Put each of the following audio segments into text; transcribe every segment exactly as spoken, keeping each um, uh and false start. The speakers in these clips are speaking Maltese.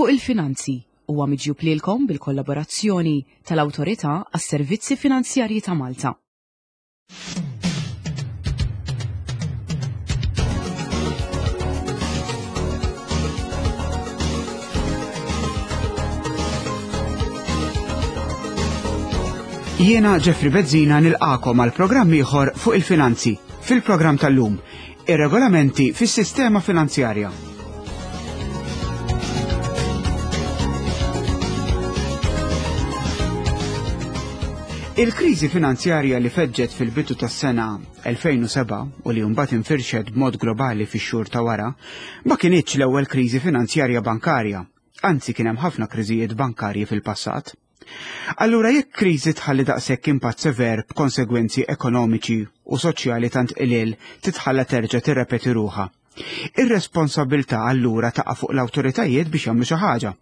Fuq il-Finanzi huwa miġjub lilkom bil-kollaborazzjoni tal-Awtorità għas-Servizzi Finanzjarji ta' Malta. Jiena Jeffrey Bezzina nilqakom għal programm ieħor fuq il-finanzi fil-programm tal-lum, ir-regolamenti fis-sistema finanzjarja. Il-kriżi finanzjarja li feġġet fil-bidu tas-sena elfejn u sebgħa u li mbagħad infirxet b'mod globali fix-xhur ta' wara, ma kinitx l-ewwel kriżi finanzjarja bankarja, anzi kien hemm ħafna kriżijiet bankarji fil-passat. Allura jekk kriżi tħalli daqshekk impatt sever b'konsegwenzi ekonomiċi u soċjali tant qliel titħalla terġa' tirrepeti ruħha. Ir-responsabilità allura taqa' fuq l-awtoritajiet biex jagħmlu xi ħaġa.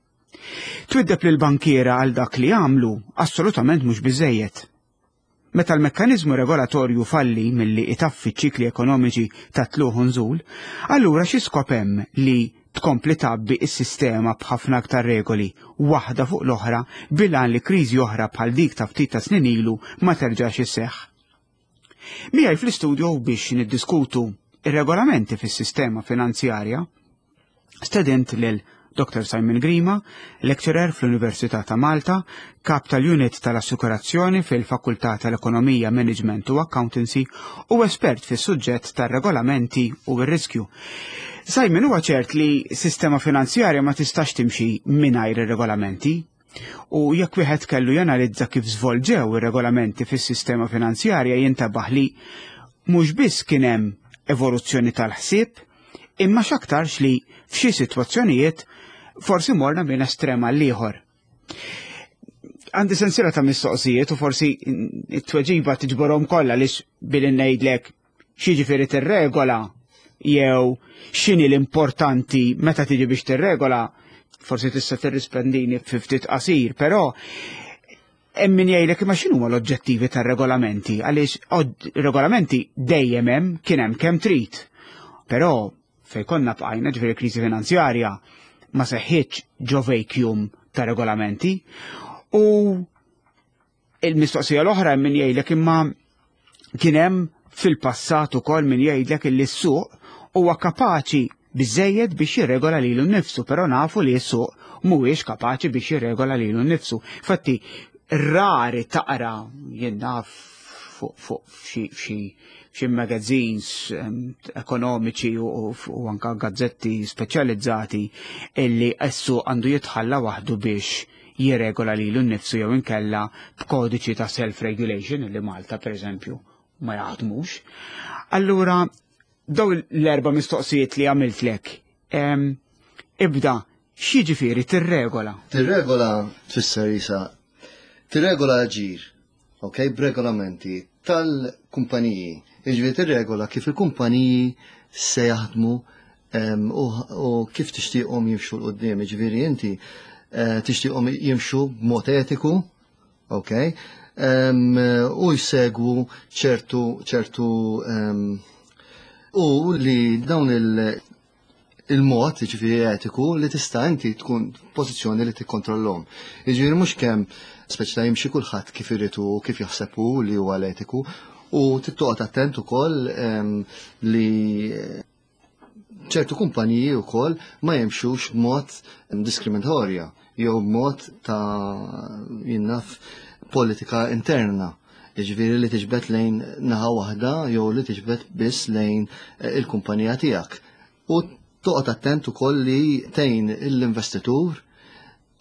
Twiddeb lil bankiera għal dak li għamlu assolutament mhux biżejjed. Meta l-mekkaniżmu regolatorju falli milli itaffi ċikli ekonomiċi ta' tluħ u nżul, allura xi skop hemm li tkompli tgħabbi s-sistema b'ħafna aktar regoli, waħda fuq l-oħra, bilan li kriżi oħra bħal dik ta' ftit ta' snin ilu ma terġax isseħħ. Miegħi fl-istudio biex niddiskutu ir-regolamenti fis-sistema finanzjarja, stedint lil Doktor Simon Grima, lecturer fl-Università ta' Malta, kap tal-Unit tal-Assikurazzjoni fil-Fakultà tal-Ekonomija, Management u Accountancy u espert fis-suġġett tar-regolamenti u r-riskju. Simon, huwa ċert li sistema finanzjarja ma tistax timxi mingħajr ir-regolamenti, u jekk wieħed kellu janalizza kif żvolġew ir-regolamenti fis-sistema finanzjarja jintabaħ li mhux biss kien hemm evoluzzjoni tal-ħsieb, imma x'aktarx li f'xi sitwazzjonijiet forsi morna minn estrem għal ieħor. Għandi sensiela ta' mistoqsijiet u forsi it-tweġiba tiġborhom kollha għaliex billi ngħidlek x'jiġifieri tirregola jew x'inhi l-importanti meta tiġi biex tirregola, forsi tista' tirrispondini fi ftit qasir, però hemm min jgħidlek imma x'inhuma l-oġġettivi tar-regolamenti, għaliex od-, regolamenti dejjem hemm, kien hemm kemm trid. Però fejn konna bqajna, ġifieri kriżi finanzjarja, ma seħħitx ġo vacuum ta' regolamenti. U il-mistoqsija l-oħra hemm min jgħidlek imma kien hemm fil-passat ukoll min jgħidlek illi s-suq huwa kapaċi biżejjed biex jirregola lilu nnifsu, però nafu li s-suq mhuwiex kapaċi biex jirregola lilu nnifsu. Infatti rari taqra jien naf fuq, fuq f'xi, f'xi, f'xi magazines, ehm, ekonomiċi u, u, u anka gazzetti speċjalizzati illi s-suq għandu jitħalla waħdu biex jirregola lilu nnifsu jew inkella b'kodiċi ta' self-regulation illi Malta pereżempju ma jaħdmux. Allura daw l-erba' mistoqsijiet li għamiltlek, ehm, ibda, x'jiġifieri tirregola? Tirregola tfisser isa, tirregola ġir, ok, b'regolamenti tal-kumpaniji. Jiġifieri tirregola kif il-kumpaniji se jaħdmu, em, u, u kif tixtieqhom jimxu 'l quddiem. Jiġifieri inti, eh, tixtieqhom jimxu b'mod etiku, ok, em, u jsegwu ċertu, ċertu, em, u li dawn il-, il-mod, jiġifieri etiku, li tista' inti tkun f'pożizzjoni li tikkontrollhom. Jiġifieri mhux kemm speċi ta' jimxi kulħadd kif irid u kif jaħseb hu li huwa l-etiku, u tittoqgħod attent ukoll, em, li ċertu kumpaniji wkoll ma jimxux b'mod diskriminatorja jew b'mod ta' jinnaf politika interna. Jiġifieri li tiġbed lejn naħa waħda jew li tiġbed biss lejn il-kumpanija tiegħek. U toqgħod attent ukoll li tgħin l-investitur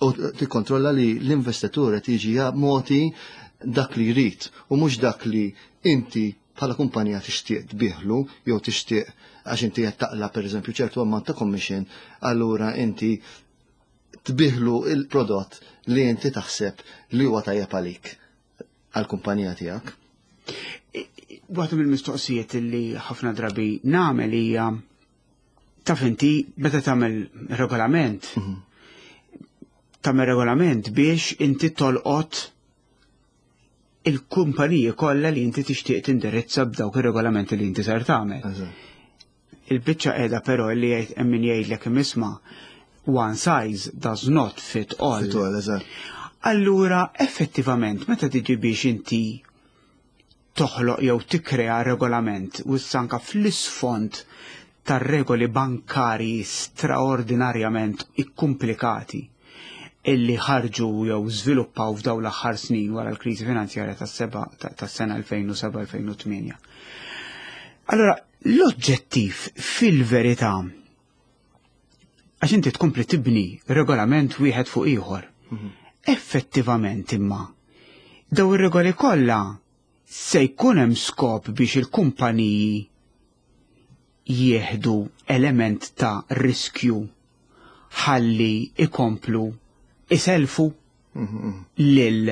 u tikkontrolla li l-investitur qed jiġi moti dak li jrid u mhux dak li inti bħala kumpanija tixtieq tbieħlu jew tixtieq għax inti qed taqla pereżempju ċertu ammont ta' commission, allura inti tbieħlu il-prodott li inti taħseb li huwa tajjeb għalik għall-kumpanija tiegħek. Waħda mill-mistoqsijiet li ħafna drabi nagħmel hija taf inti meta tagħmel regolament, Mhm. tagħmel regolament biex inti tolqot il-kumpaniji kollha li inti tixtieq tindirizza b'dawk ir-regolamenti li inti ser tagħmel. Eżatt. Il-biċċa qiegħda però li jgħid hemm min jgħidlek isma' One size does not fit all. Fit all, eżatt. Allura, effettivament, meta tiġi biex inti toħloq jew tikkrea regolament u anka fl-isfond tar-regoli bankari straordinarjament ikkumplikati illi ħarġu jew żviluppaw f'dawn l-aħħar snin wara l-kriżi finanzjarja tas-seba tas-sena elfejn u sebgħa-elfejn u tmienja. Allora, l-oġġettiv fil-verità, għax inti tkompli tibni regolament wieħed fuq ieħor. Effettivament imma, daw ir-regoli kollha se jkun hemm skop biex il-kumpaniji jieħdu element ta' riskju ħalli ikomplu iselfu lil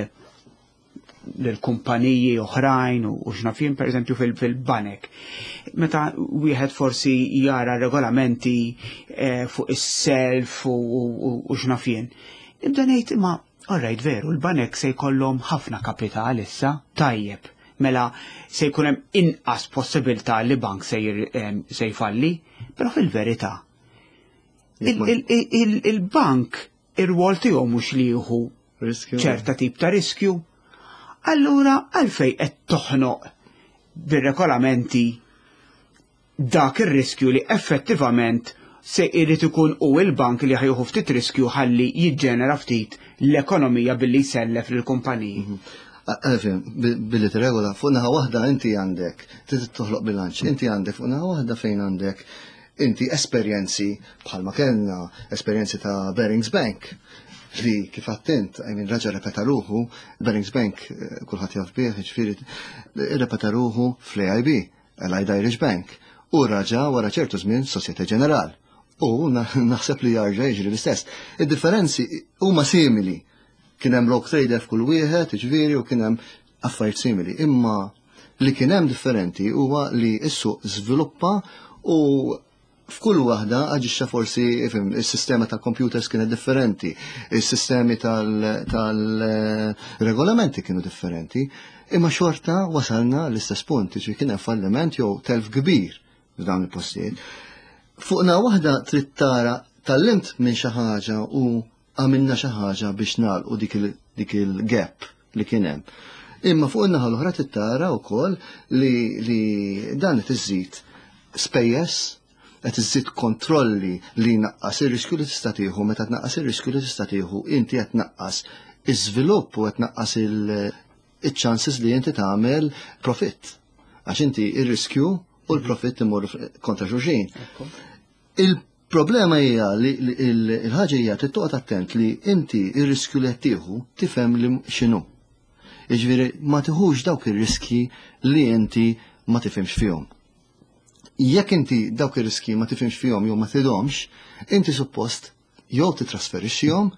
lil kumpaniji oħrajn u u x'naf jien, per eżempju, fil-banek. Meta wieħed forsi jara regolamenti eh, fuq is-self u, u, u x'naf jien. Nibda ngħid, imma alright, veru, l-banek se jkollhom ħafna kapital issa, tajjeb. Mela se jkun hemm inqas possibilità li bank se jir- em, se jfalli, però fil-verità Jekk ma- il- il- il- il-bank ir-rwol tiegħu mhux li jieħu Riskju. ċerta tip ta' riskju. Allura għalfej qed toħnoq bir-regolamenti dak ir-riskju li effettivament se jrid ikun u il-bank li ħa jieħu ftit riskju ħalli jiġġenera ftit l-ekonomija billi jsellef lill-kumpaniji? Għalfejn, billi t-regola, fuq naħa waħda inti għandek, trid toħloq bilanċ, inti għandek fuq naħa waħda fejn għandek inti esperjenzi bħalma kellna esperjenzi ta' Barings Bank li kif attent, I mean, raġa repeta ruħu, Barings Bank eh, kulħadd jaf bih, ġifieri repeta ruħu fl-A I B, Allied Irish Bank, u raġa wara ċertu żmien Societe Generale. U na- naħseb li jarġa' jiġri l-istess. Id-differenzi huma simili. Kien hemm rogue trader f'kull wieħed, ġifieri, u kien hemm affarijiet simili. Imma li kien hemm differenti huwa li s-suq żviluppa u f'kull waħda aġixxa forsi, ifhem, is-sistema tal-computers kienet differenti, is-sistemi tal-regolamenti kienu differenti, imma xorta wasalna l-istess punt, ġifieri kien hemm falliment jew telf kbir f'dawn il-postijiet. Fuq naħa waħda trid tara tgħallimt minn xi ħaġa u għamilna xi ħaġa biex nagħlqu dik il- dik il-gap li kien hemm. Imma fuq in-naħa l-oħra trid tara wkoll li, li dan qed iżid spejjeż, qed iżid kontrolli li naqqas ir-riskju li tista' tieħu. Meta tnaqqas ir-riskju li tista' tieħu, inti qed tnaqqas iż-żvilupp u qed tnaqqas il-chances li inti tagħmel profitt. Għax inti ir-riskju u l-profitt imorru kontra xulxin. Il-problema hija li li il- il-ħaġa hija trid toqgħod attent li inti ir-riskju li qed tieħu tifhem li x'inhu. Jiġifieri ma tiħux dawk ir-riski li inti ma tifhimx fihom. Jekk inti dawk ir-riski ma tifhimx fihom jew ma tidhomx, inti suppost jew titrasferixxihom,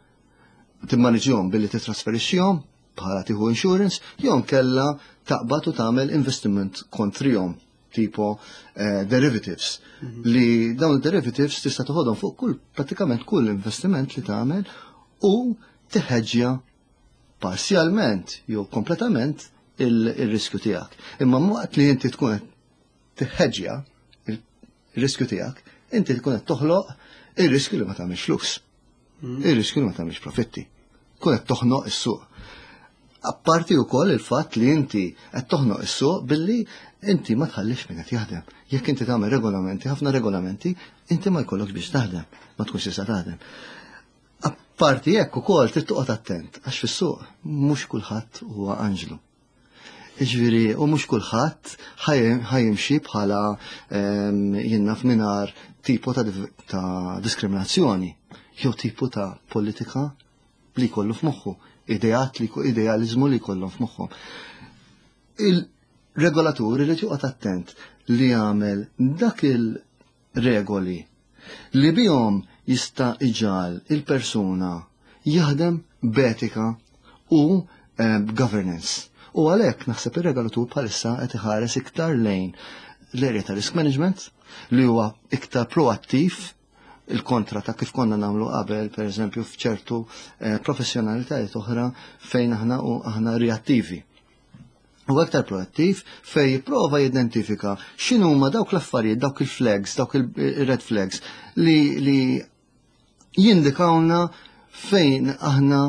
timmaniġihom billi titrasferixxihom bħala tieħu insurance, jew kella taqbad u tagħmel investiment kontrihom tipo eh, derivatives, li dawn il-derivatives tista' toħodhom fuq kull pratikament kull investiment li tagħmel u tiħeġġja parzjalment jew kompletament il-riskju tiegħek. Imma waqt li inti tkun qed tiħeġġja il-riskju tiegħek, inti tkun qed toħloq ir-riskju li ma tagħmilx flus. Ir-riskju li ma tagħmilx profitti. Tkun qed toħnoq is-suq. Apparti wkoll il-fatt li inti qed toħnoq is-suq billi inti ma tħallix min qed jaħdem. Jekk inti tagħmel regolamenti, ħafna regolamenti, inti ma jkollokx biex taħdem, ma tkunx tista' taħdem. Apparti hekk ukoll trid toqgħod attent għax fis-suq mhux kulħadd huwa anġlu. Jiġifieri, u mhux kulħadd ħa jimxi bħala jien naf mingħajr tipo ta', ta' diskriminazzjoni jew tipo ta' politika li jkollu f'moħħu, ideat li idealizmu li jkollhom f'moħħhom. Il-regolatur irid joqgħod attent li jagħmel dak il-regoli li bihom jista' iġagħal il-persuna jaħdem b'etika u eh, governance. U għalhekk naħseb ir-regolatur bħalissa qed iħares iktar lejn l-area ta' risk management li huwa iktar proattiv, il-kontra ta' kif konna nagħmlu qabel, per eżempju, f'ċertu eh, professjonalitajiet oħra fejn aħna u aħna reattivi. U aktar proattiv fej jipprova jidentifika x'inhuma dawk l-affarijiet, dawk il-flags, dawk il-red flags li, li Jindikawna fejn aħna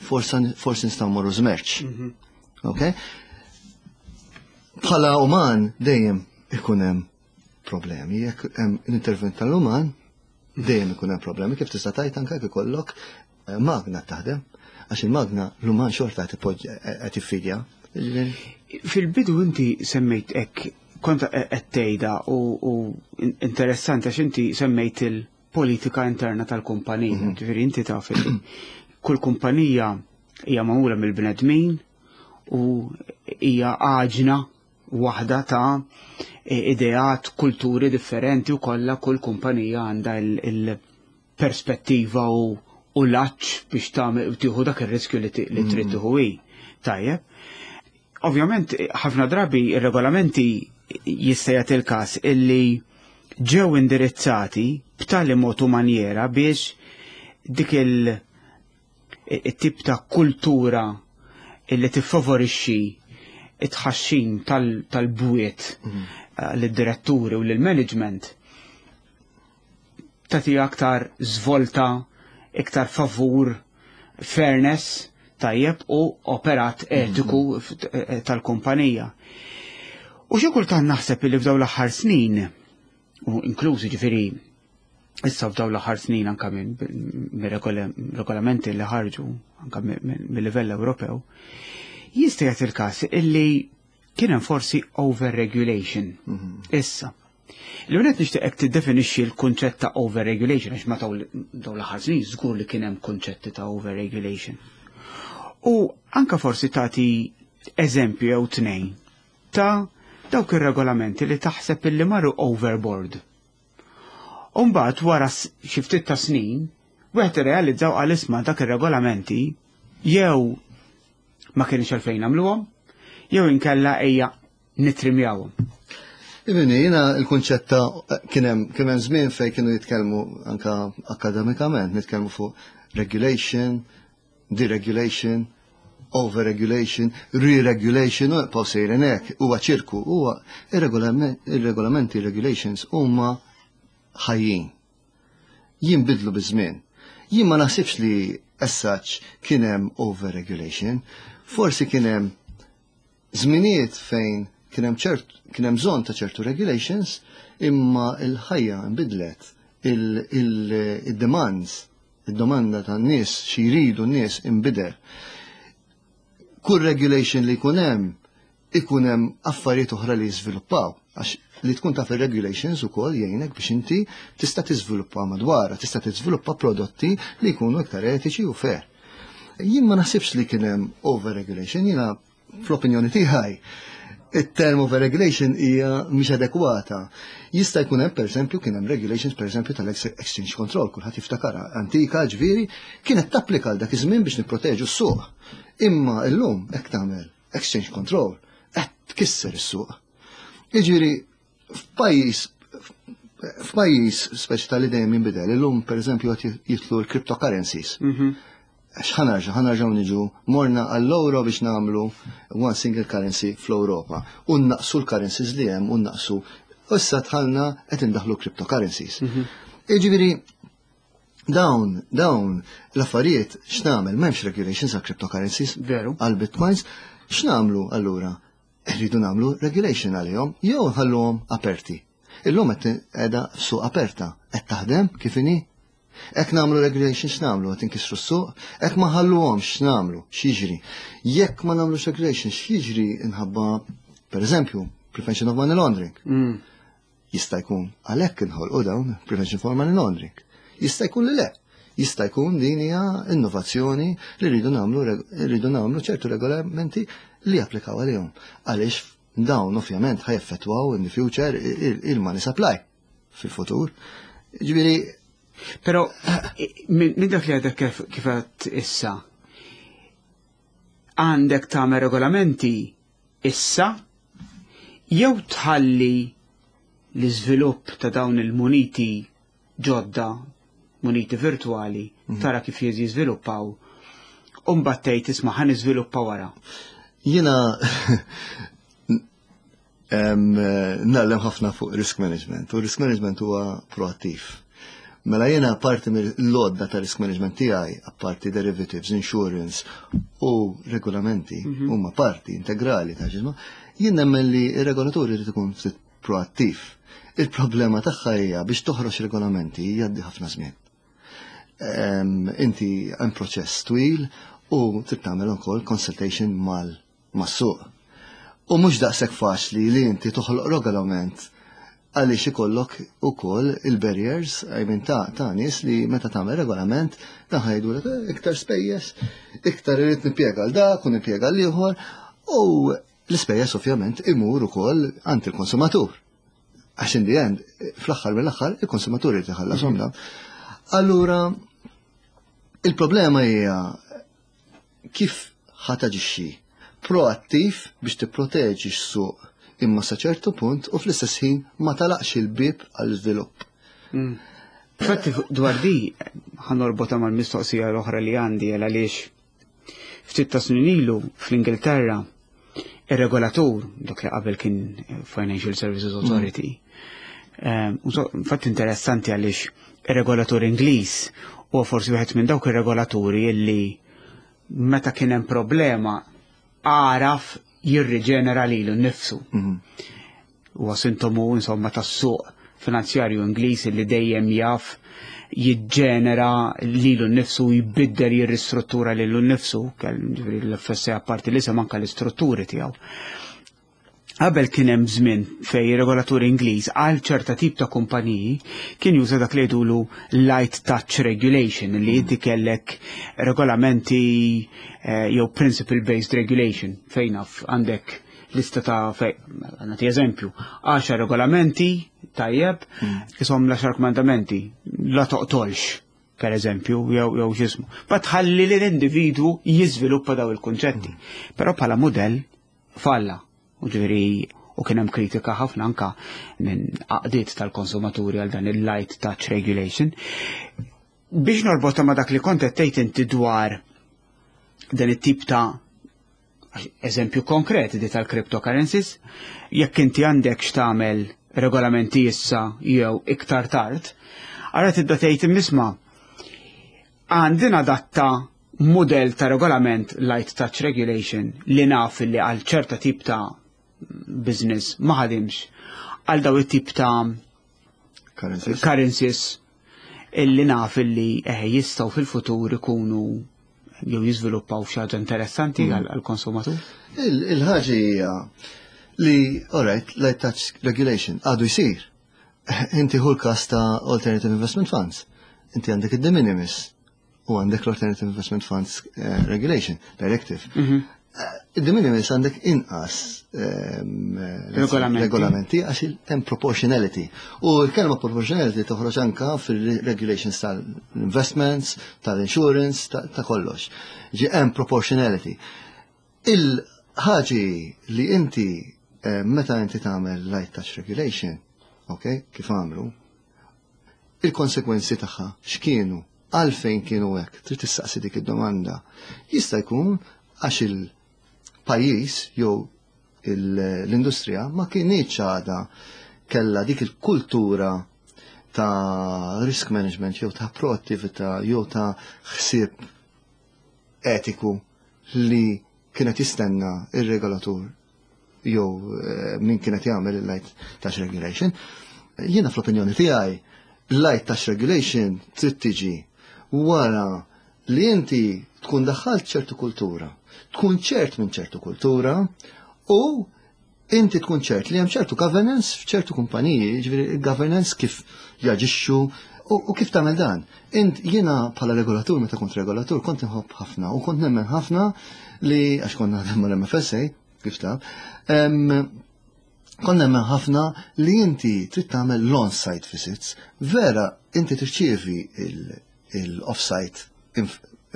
forsi forsi nistgħu morru żmerċ. Ok? Bħala uman dejjem ikun hemm problemi. Jekk hemm l-intervent tal-uman dejjem ikun hemm problemi. Kif tista' tgħid anke jekk ikollok eh, magna taħdem, għax il-magna l-uman xorta qed ipoġġi- qed iffidja. Jiġifieri, Fil-bidu inti semmejt hekk, kont qed tgħidha u, u interessanti għax inti semmejt il-politika interna tal-kumpanija. Ġifieri inti taf li kull kumpanija hija magħmula mill-bnedmin u hija għaġna waħda ta' ideat, kulturi differenti u kollha kull kumpanija għandha il-perspettiva u u l-għatx biex tagħmel tieħu dak ir-riskju li ti- li trid tieħu hi. Tajjeb. Ovvjament, ħafna drabi ir-regolamenti jista' jagħti il-każ illi ġew indirizzati b'tali mod u manjera biex dik il- it-tip ta' kultura illi tiffavorixxi it-tħaxxin tal- tal-bwiet eh, lid-diretturi u lill-management tagħti aktar żvolta, iktar favur fairness tajjeb u operat etiku f- eh, tal-kumpanija. U xi kultant naħseb li f'dawn l-aħħar snin, u inklużi ġifieri issa f'dawn l-aħħar snin anka minn mir-regolamenti li ħarġu anka mill-livell Ewropew, jista' jagħti il-każ illi kien hemm forsi overregulation. Issa. L-għunet nixtieqek tiddefinixxi l-kunċett ta' overregulation, għax ma dawn l-aħħar snin żgur li kien hemm kunċetti ta' overregulation. U anka forsi tagħti eżempju jew tnejn ta' dawk ir-regolamenti li taħseb illi marru overboard. Umbagħad wara xi ftit ta' snin, wieħed irrealizzaw għal isma' dak ir-regolamenti jew ma kienx għalfejn nagħmluhom, jew inkella ejja nitrimjawhom. Ibini, jiena il-kunċett ta' kien hemm kien hemm żmien fejn kienu jitkellmu anka akademikament, nitkellmu fuq regulation, deregulation, overregulation, re-regulation, u nibqgħu sejrin hekk, huwa ċirku, huwa ir-regolamenti, regulations huma ħajjin. Jinbidlu biż-żmien. Jien ma naħsibx li as such kien hemm overregulation, forsi kien hemm żminijiet fejn kien hemm ċert kien hemm bżonn ta' ċertu regulations, imma il-ħajja nbidlet, il-demands, il-domanda tan-nies xi jridu n-nies inbidel. Kull regulation li jkun hemm ikun hemm affarijiet oħra li jiżviluppaw għax li tkun taf ir-regulations ukoll jgħinek biex inti tista' tiżviluppa madwar, tista' tiżviluppa prodotti li jkunu iktar etiċi u fair. Jien ma naħsibx li kien hemm overregulation, jiena fl-opinjoni tiegħi it-term overregulation hija mhix adekwata. Jista' jkun hemm pereżempju kien hemm regulations pereżempju tal-exchange control, kulħadd jiftakarha antika ġifieri kienet tapplika għal dak iż-żmien biex nipproteġu s-suq. Imma llum hekk tagħmel exchange control qed tkisser is-suq. Jiġifieri f'pajjiż f'pajjiż speċi tal dejjem jinbidel, illum pereżempju qed jidħlu l-cryptocurrencies. X'ħa nerġa', ħa nerġgħu niġu morna għall-euro biex nagħmlu one single currency fl-Ewropa. U naqsu l-currencies li hemm u naqsu. Issa dħalna qed indaħlu cryptocurrencies. Jiġifieri dawn, dawn l-affarijiet x'nagħmel m'hemmx regulations għal cryptocurrencies Veru. għal bitcoins, x'nagħmlu allura? Irridu nagħmlu regulation għalihom jew nħalluhom aperti. Illum qed qiegħda suq aperta, qed taħdem kif inhi? Jekk nagħmlu regulation x'nagħmlu, qed inkissru s-suq, hekk ma ħalluhomx x'nagħmlu, x'jiġri. Jekk ma nagħmlux regulation x'jiġri inħabba pereżempju prevention of money laundering. Mm. Jista' jkun għalhekk inħolqu dawn prevention for money laundering. Jista' jkun li le. Jista' jkun din hija innovazzjoni li rridu nagħmlu rridu nagħmlu ċertu regolamenti li japplikaw għalihom. Għaliex dawn ovvjament ħa jeffettwaw in the future il-money supply fil-futur. Ġifieri Però minn min dak li għadek kif kif għedt issa, għandek tagħmel regolamenti issa jew tħalli l-iżvilupp ta' dawn il-muniti ġodda, muniti virtuali, tara kif jiżviluppaw, u mbagħad tgħid isma' ħa niżviluppa wara. Jiena em, ngħallem ħafna fuq risk management u risk management huwa proattiv. Mela jiena parti mill-lodda ta' risk management tiegħi, apparti derivatives, insurance u regolamenti, mhm. huma parti integrali ta' ġisma, jien nemmen li ir-regolatur irid ikun ftit proattiv. Il-problema tagħha hija biex toħroġ regolamenti jgħaddi ħafna żmien. Inti hemm proċess twil u trid tagħmel ukoll consultation mal mas-suq. U mhux daqshekk faċli li inti toħloq regolament għaliex ikollok ukoll il-barriers, I mean, ta' ta' nies li meta tagħmel regolament dan ħa jgħidu eh, iktar spejjeż, iktar irid nippjega għal dak u nippjega għal ieħor u l-ispejjeż ovvjament imur ukoll għand il-konsumatur. Għax in the end, fl-aħħar mill-aħħar il-konsumatur irid iħallasom dan. Allura il-problema hija kif ħa taġixxi proattiv biex tipproteġi x-suq imma sa ċertu punt u fl-istess ħin ma tagħlaqx il-bib għall-iżvilupp. Mm. Infatti dwar di ħa norbotha mal-mistoqsija l-oħra li għandi, għaliex ftit ta' snin ilu fl-Ingilterra ir-regolatur, dak li qabel kien Financial Services Authority. Mm. Infatti interessanti għaliex ir-regolatur Ingliż huwa forsi wieħed minn dawk ir-regolaturi illi meta kien hemm problema għaraf jirriġenera lilu nnifsu. Mhm. Huwa sintomu insomma tas-suq finanzjarju Ingliż li dejjem jaf jiġġenera lilu nnifsu, jbiddel, jirristruttura lilu nnifsu, l-F S A apparti li anka l-istrutturi tiegħu. Qabel kien hemm żmien fej regolatur Ingliż għal ċerta tip ta' kumpaniji kien juża dak li jgħidulu light touch regulation, li inti kellek regolamenti eh, jew principle based regulation fejn naf għandek lista ta' fej, nagħti eżempju, għaxar regolamenti, tajjeb, isom l-għaxar komandamenti, la toqtolx, per eżempju, jew jew x'ismu. Ma tħalli li l-individwu jiżviluppa daw il-kunċetti. Però bħala modell falla. U ġifieri u kien hemm kritika ħafna anka minn għaqdiet tal-konsumaturi għal dan il-light touch regulation. Biex norbota ma dak li kont qed tgħid inti dwar dan it-tip ta' eżempju konkret di tal-cryptocurrencies, jekk inti għandek x'tagħmel regolamenti issa jew iktar tard, ara tibda tgħid, isma', għandi nadatta model ta' regolament light touch regulation li naf li għal ċerta tip ta' business ma ħadimx, għal daw it-tip ta' currencies, currencies illi naf illi eh, jistgħu fil-futur ikunu jew jiżviluppaw xi ħaġa interessanti mm. għall-konsumatur. Il-ħaġa hija li, alright, light touch regulation għadu jsir. Inti hu l-kas ta' alternative investment funds. Inti għandek id-de minimis u għandek l-Alternative Investment Funds eh, Regulation Directive. Mm -hmm. Id-de minimis għandek inqas ehm, regolamenti, regolamenti għax hemm proportionality. U l-kelma proportionality toħroġ anka fil-regulations tal-investments, tal-insurance, ta' kollox. Ġi hemm proportionality. Il-ħaġi li inti eh, meta inti tagħmel light touch regulation, ok, kif għamlu, il-konsekwenzi tagħha x'kienu, għalfejn kienu hekk, trid tistaqsi dik id-domanda. Jista' jkun għax il-pajjiż jew l-industrija ma kinitx għada kella dik il-kultura ta' risk management jew ta' proattività jew ta' ħsieb etiku li kienet jistenna ir-regolatur jew eh, min kienet jagħmel il-light touch regulation. Jiena fl-opinjoni tiegħi light touch regulation trid tiġi wara li inti tkun daħħalt ċertu kultura, tkun ċert minn ċertu kultura u inti tkun ċert li hemm ċertu governance f'ċertu kumpaniji, ġifieri governance kif jaġixxu u, u kif tagħmel dan. Int jiena bħala regolatur, meta kont regolatur, kont inħobb ħafna u kont nemmen ħafna li għax kont naħdem mal-M F S A kif taf, kont nemmen ħafna li inti trid tagħmel l-on-site visits, vera inti tirċievi il-off-site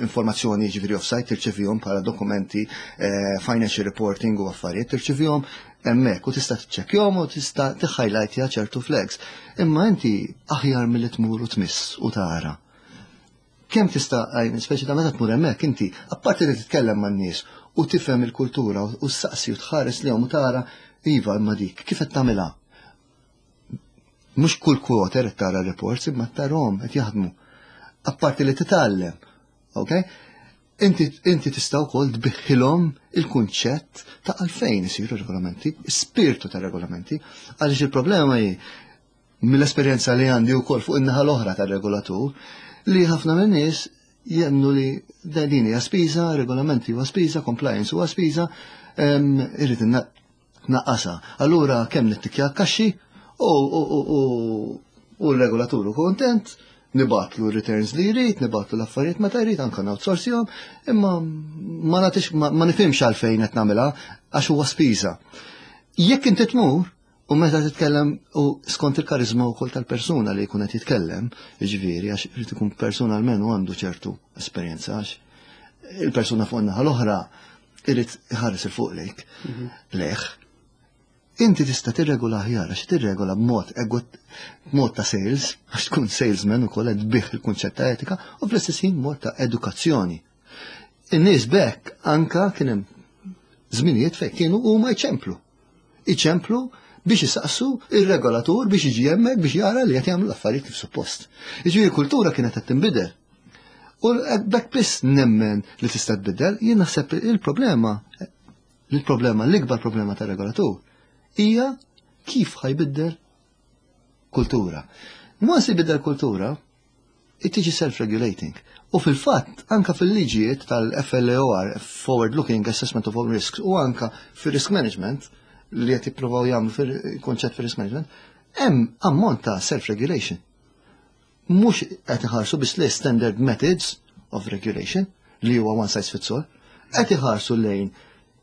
informazzjoni, ġifieri off-site tirċevihom bħala dokumenti, eh, financial reporting u affarijiet, tirċevihom hemmhekk u tista' tiċċekkjahom u tista' tiħħajlajtja ċertu flags. Imma inti aħjar milli tmur u tmiss u tara. Kemm tista', speċi ta' meta tmur hemmhekk inti, apparti li titkellem man-nies u tifhem il-kultura u ssaqsi u tħares lejhom u tara, iva, imma dik kif qed tagħmilha? Mhux kull quarter qed tara reports, imma tarahom qed jaħdmu. Apparti li titgħallem, ok? Inti, inti tista' wkoll tbigħilhom il-kunċett ta' għalfejn isiru regolamenti, spirtu ta' regolamenti, għaliex il-problema hi, mill-esperjenza li għandi wkoll fuq in-naħa l-oħra tar-regolatur, li ħafna minn nies jemmnu li din hija spiża, regolamenti huwa spiża, compliance huwa spiża, irrid naqqasa. Allura kemm nittikja kaxxi u u l-regolatur hu kontent, nibgħatlu returns li jrid, nibgħatlu l-affarijiet meta jrid, anka outsourcihom, imma ma nagħtix, ma nifhimx għalfejn qed nagħmilha, għax huwa spiża. Jekk inti tmur u meta titkellem u skont il-karizma wkoll tal-persuna li jkun qed jitkellem, jiġifieri għax irid ikun persuna almenu għandu ċertu esperjenza, għax il-persuna fuq naħa l-oħra irid iħares il fuq lejk. Mhm. Leħ. Inti tista' tirregola aħjar għax tirregola b'mod b'mod ta' sales, għax tkun salesman ukoll qed tbigħ il-kunċett ta' etika, u fl-istess ħin mod ta' edukazzjoni. In-nies bekk anka kien hemm żminijiet fejn kienu huma jċemplu. Iċemplu biex jisaqsu il-regolatur biex jiġi hemmhekk biex jara li qed jagħmlu l-affarijiet kif suppost. Jiġifieri kultura kienet qed tinbidel. U bekk biss nemmen li tista' tbiddel. Jien naħseb il-problema, il-problema, l-ikbar problema tar-regolatur hija kif ħa jbiddel kultura. Once jbiddel kultura, tiġi self-regulating. U fil-fatt, anka fil-liġijiet tal-F L A O R, Forward Looking Assessment of All Risks, u anka fil-risk management, li qed jippruvaw jagħmlu fil-konċett fil-risk management, hemm ammont ta' self-regulation. Mhux qed iħarsu biss li standard methods of regulation li huwa one size fits all, qed iħarsu lejn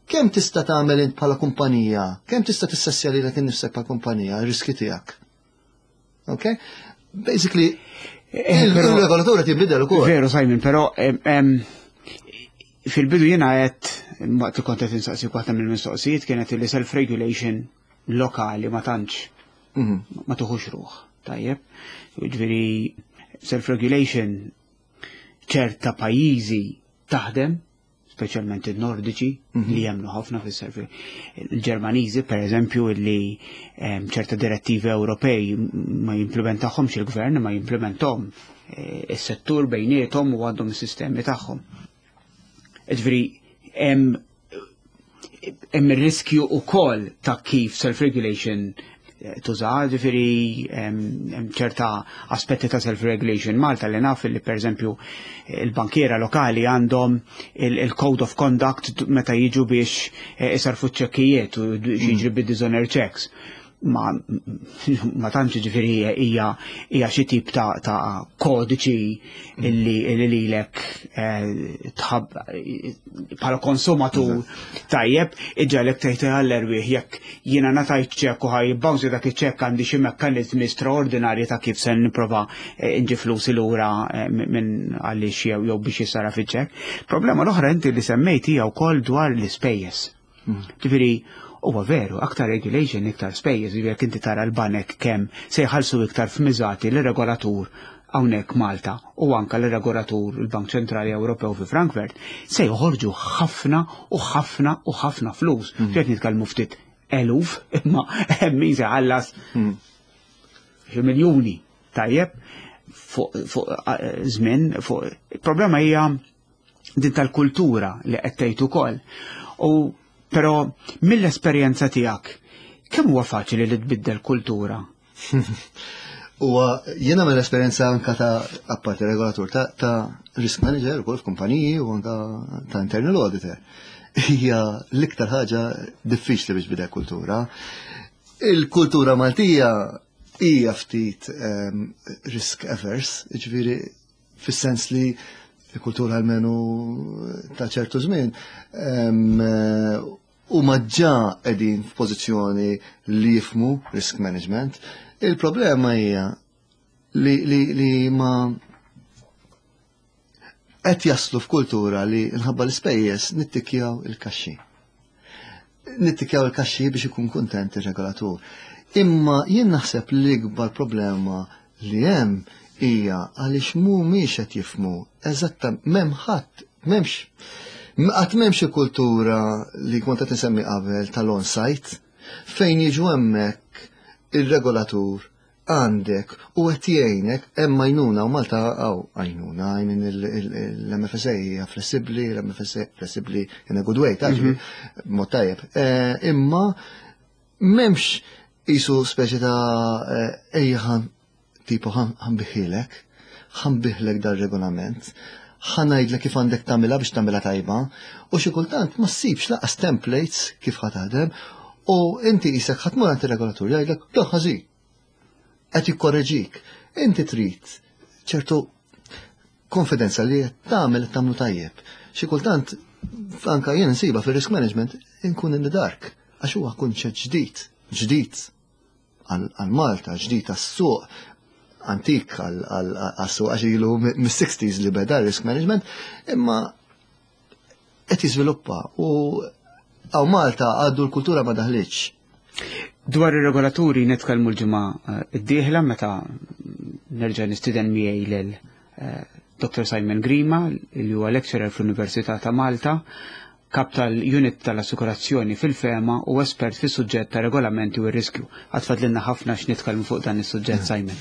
kemm tista' tagħmel int bħala kumpanija, kemm tista' tissessja lilek innifsek bħala kumpanija, ir-riski tiegħek. Okay? Basically, eh, il-regolatur qed jinbidel ukoll. Veru, Simon, però fil-bidu jiena għedt, waqt li kont qed insaqsi, waħda mill-mistoqsijiet kienet li self-regulation lokali ma tantx mhm. ma tuħux ruħ. Tajjeb. Ġifieri self-regulation ċerta pajjiżi taħdem, speċjalment il-Nordiċi mhm. li jemmnu ħafna fis-self. Il-Ġermaniżi, per eżempju, li ċerta direttivi Ewropej ma jimplementahomx il-gvern, ma jimplementom eh, is-settur bejniethom u għandhom is-sistemi tagħhom. Ġifieri hemm hemm ir-riskju ukoll ta' kif self-regulation eh, tuża, ġifieri hemm ċerta aspetti ta' self-regulation Malta li naf li, per eżempju, il-bankiera lokali għandhom il-code of conduct meta jiġu biex eh, isarfu ċekkijiet u jiġri bid-dishonor checks. Ma, ma tantx, ġifieri, hija hija xi tip ta', ta kodiċi illi illi lilek eh, tħab bħala konsumatur tajjeb iġġagħlek tgħid għall-erwieħ jekk jiena ngħatajt ċekk u ħa jibbounce dak iċ-ċekk, għandi xi mekkaniżmi straordinarji ta' kif se nipprova eh, nġib flusi lura eh, minn għaliex jew jew biex jisara fiċ-ċekk. Problema l-oħra inti li semmejt hija wkoll dwar l-ispejjeż. Ġifieri, huwa veru, aktar regulation, iktar spejjeż. Ġifieri jekk inti tara l-banek kemm se jħallsu iktar f'miżati l-regolatur hawnhekk Malta u anka l-regolatur il-Bank Ċentrali Ewropew fi Frankfurt, se joħorġu ħafna u ħafna u ħafna flus. Mm. Qed nitkellmu ftit eluf, imma hemm min se jħallas xi miljuni, tajjeb, fuq fuq, eh, żmien. Fuq il-problema hija din tal-kultura li qed tgħid ukoll. U però mill-esperjenza tiegħek, kemm huwa faċli li tbiddel kultura? U jiena mill-esperjenza anka ta' apparti regolatur, ta', ta risk manager ukoll f'kumpaniji u anka ta' internal auditor. Hija l-iktar ħaġa diffiċli biex tbiddel kultura. Il-kultura Maltija hija ftit um, risk averse, ġifieri fis-sens li il-kultura almenu ta' ċertu żmien um, u maġġa qegħdin f'pożizzjoni li jifhmu risk management. Il-problema hija li, li, li ma qed jaslu f'kultura li nħabba l-ispejjeż nittikjaw il-kaxxi. Nittikjaw il-kaxxi biex ikun kuntent ir-regolatur. Imma jien naħseb li l-ikbar problema li hemm hija għaliex mhumiex qed jifhmu eżatta m'hemm ħadd, m'hemmx, qatt m'hemmx kultura li kont qed insemmi qabel tal-on-site fejn jiġu hemmhekk il-regolatur għandek u qed jgħinek hemm għajnuna u Malta għaw għajnuna, I mean l-M F S A hija flessibbli, l-M F S A flessibbli in a good way, taġi, mod tajjeb. Eh, Imma m'hemmx qisu speċi ta' eh, ejja ħan tipo ħa nbigħhielek, ħa nbigħlek dar-regolament, ħa ngħidlek kif għandek tagħmilha biex tagħmilha tajba, u xi kultant ma ssibx lanqas templates kif ħa taħdem, u inti qisek ħa tmur għand ir-regolatur jgħidlek dan ħażin. Qed jikkorreġik. Inti trid ċertu konfidenza li qed tagħmel qed tagħmlu tajjeb. Xi kultant anka jien nsiba fir-risk management inkun in the dark għax huwa kunċett ġdid, ġdid għal Malta, ġdid għas-suq, antik għas-suq għax ilu mis-sixties li beda risk management, imma qed jiżviluppa u hawn Malta għadu l-kultura ma daħlitx. Dwar ir-regolaturi nitkellmu l-ġimgħa eh, d-dieħla meta nerġa' nistieden miegħi lil eh, Doctor Simon Grima, li huwa lecturer fl-Università ta' Malta, kap tal-unit tal-assikurazzjoni fil-FEMA u espert fis suġġett ta' regolamenti u r-riskju. Għad fadlilna ħafna x'nitkellmu fuq dan is-suġġett, Simon.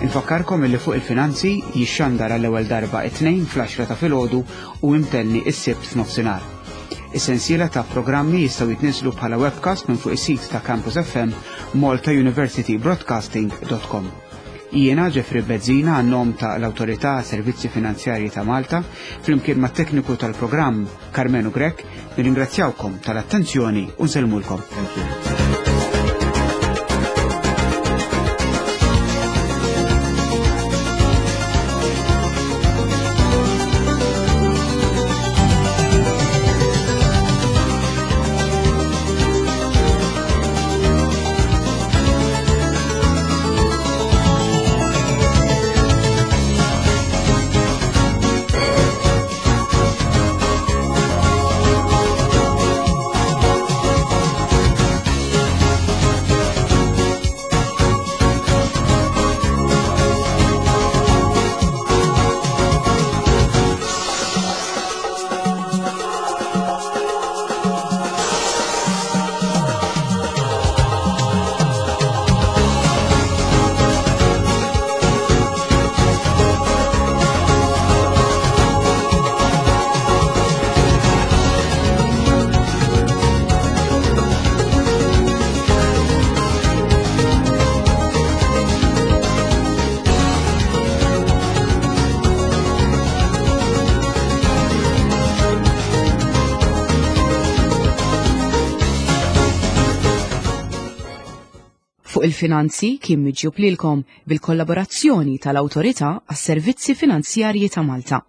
Infakkarkom illi Fuq il-Finanzi jixxandar għall-ewwel darba it-Tnejn fl-għaxra ta' filgħodu u imtenni is-Sibt f'nofsinhar. Is-sensiela ta' programmi jistgħu jitniżlu bħala webcast minn fuq is-sit ta' Campus F M maltauniversitybroadcasting punt com. Jiena Jeffrey Bezzina għan-nom ta' l-Awtorità Servizzi Finanzjarji ta' Malta flimkien mat tekniku tal-programm Carmenu Grech nirringrazzjawkom tal-attenzjoni u nsellmulkom. Thank you. Fuq il-Finanzi kien miġjub lilkom bil-kollaborazzjoni tal-Awtorità għas-Servizzi Finanzjarji ta' Malta.